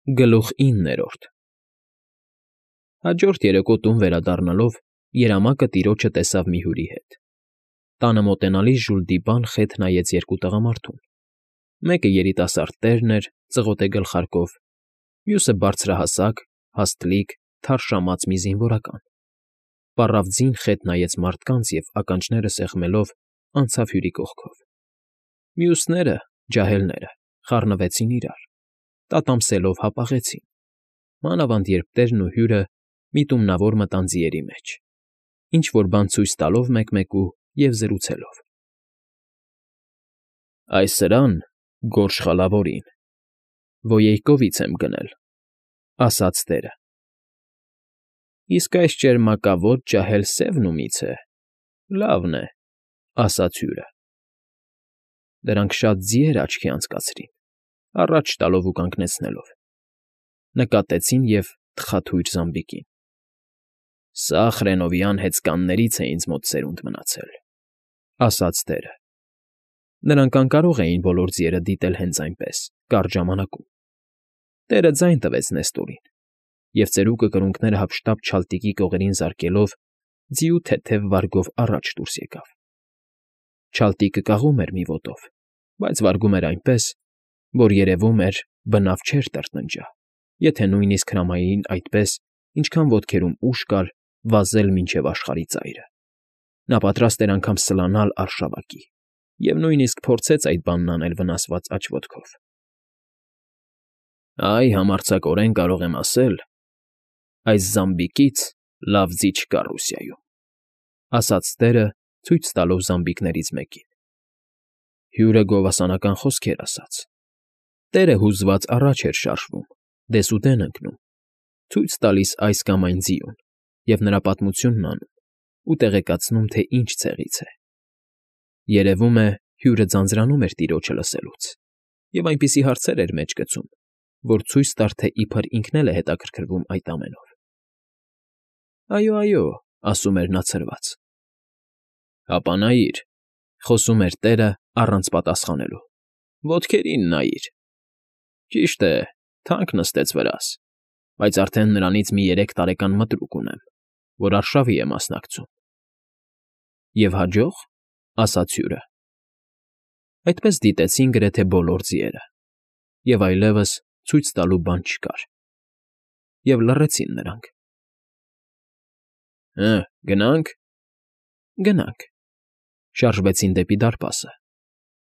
Գլուխ 9 Հաջորդ երեկո տուն վերադառնալով երամակը տիրոջը տեսավ մի հյուրի հետ. տանը մոտենալիս ժուլտի բան խեթ նայեց երկու տղամարդուն. մեկը երիտասարդ տերն էր ծղոտե գլխարկով, մյուսը բարձրահասակ, հաստլիկ, թարշամած մի զինվորական. պառավ ձին խեթ նայեց մարդկանց և ականջները սեղմելով անցավ հյուրի կողքով. մյուսները, ջահելները, խառնվեցին իրար, տատամսելով հապաղեցին, մանավանդ երբ տերն ու հյուրը միտումնավոր մտան ձիերի մեջ, ինչ֊որ բան ցույց տալով մեկ֊մեկու և զրուցելով։ Այս սրան, գորշ խալավորին, Ոյեյկովից եմ գնել, ասաց տերը։ Իսկ այս ճերմակավոտ ջահել սևն ումի՞ց է, լավն է, ասաց հյուրը։ Դրանք շատ ձի էր աչքի անցկացրին, առաջ տալով ու կանգնեցնելով, նկատեցին և թխաթույր զամբիկին։ Սա Խրենովյան հեծկաններից է ինձ մոտ սերունդ մնացել, ասաց տերը։ Նրանք անկարող էին բոլոր ձիերը դիտել հենց այնպես, կարճ ժամանակում։ Տերը ձայն տվեց Նեստորին, և ծերուկը կրունկները հափշտապ չալտիկի կողերին զարկելով ձիու թեթև վարգով առաջ դուրս եկավ։ Չալտիկը կաղում էր մի ոտով, բայց վարգում էր այնպես, որ երևում էր բնավ չէր տրտնջա, եթե նույնիսկ հրամայեին այդպես, ինչքան ոտքերում ուժ կար, վազել մինչև աշխարհի ծայրը։ Նա պատրաստ էր անգամ սլանալ արշավակի և նույնիսկ փորձեց այդ բանն անել վնասված աջ ոտքով։ Այ համարձակորեն կարող եմ ասել, այս զամբիկից լավ ձի չկա Ռուսիայում, ասաց տերը, ցույց տալով զամբիկներից մեկին։ Հյուրը գովասանական խոսքեր ասաց։ Տերը հուզված առաջ էր շարժվում, դեսուդեն ընկնում, ցույց տալիս այս կամ այն ձիուն և նրա պատմությունն անում ու տեղեկացնում, թե ինչ ցեղից է։ Երևում է, հյուրը ձանձրանում էր տիրոջը լսելուց և այնպիսի հարցեր էր մեջ գցում, որ ցույց տար, թե իբր ինքն էլ է հետաքրքրվում այդ ամենով։ Այո, այո, ասում էր նա ցրված։ Հապա նայիր, խոսում էր տերը առանց պատասխանելու, ոտքերին նայիր։ Ճիշտ է, թանկ նստեց վրաս, բայց արդեն նրանից մի 3 տարեկան մտրուկ ունեմ, որ արշավի է մասնակցում։ Եվ հաջող, ասաց հյուրը։ Այդպես դիտեցին գրեթե բոլոր ձիերը, և այլևս ցույց տալու բան չկար, և լռեցին նրանք։ Գնա՞նք։ Գնանք, շարժվեցին դեպի դարպասը։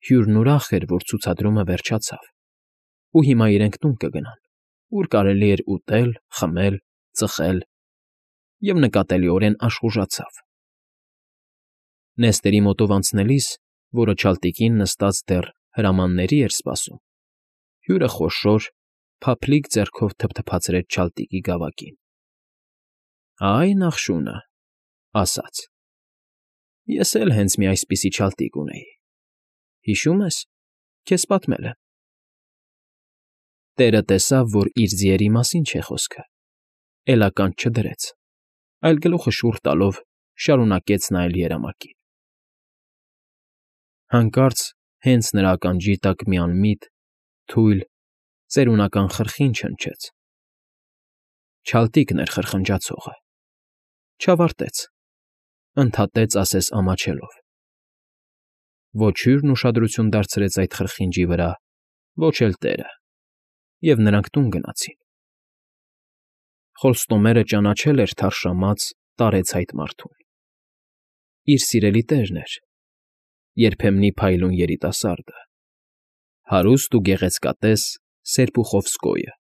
Հյուրն ուրախ էր, որ ցուցադրումը վերջացավ, ու հիմա իրենք տուն կգնան, ուր կարելի էր ուտել, խմել, ծխել, և նկատելիորեն աշխուժացավ։ Նեստերի մոտով անցնելիս, որը չալտիկին նստած դեռ հրամանների էր սպասում, հյուրը խոշոր, փափլիկ ձեռքով թփթփացրեց չալտիկի գավակին։ Այ նախշունը, ասաց. Ես էլ հենց մի այսպիսի չալտիկ ունեի։ Հիշո՞ւմ ես, քեզ պատմել եմ։ Տերը տեսավ, որ իր ձիերի մասին չէ խոսքը, էլ ականջ չդրեց, այլ գլուխը շուռ տալով շարունակեց նայել երամակին։ Հանկարծ հենց նրա ականջի տակ մի անմիտ, թույլ, ծերունական խրխինջ հնչեց։ Չալտիկն էր խրխնջացողը։ Չավարտեց, ընդհատեց ասես ամաչելով։ Ոչ հյուրն ուշադրություն դարձրեց այդ խրխինջի վրա, ոչ էլ տերը, և նրանք տուն գնացին։ Խոստումերը ճանաչել էր թարշամած, տարեցհայտ մարդուն։ Իր սիրելի տերն էր, երբեմնի փայլուն երիտասարդը, հարուստ ու գեղեցկատես Սերպուխովսկոյը։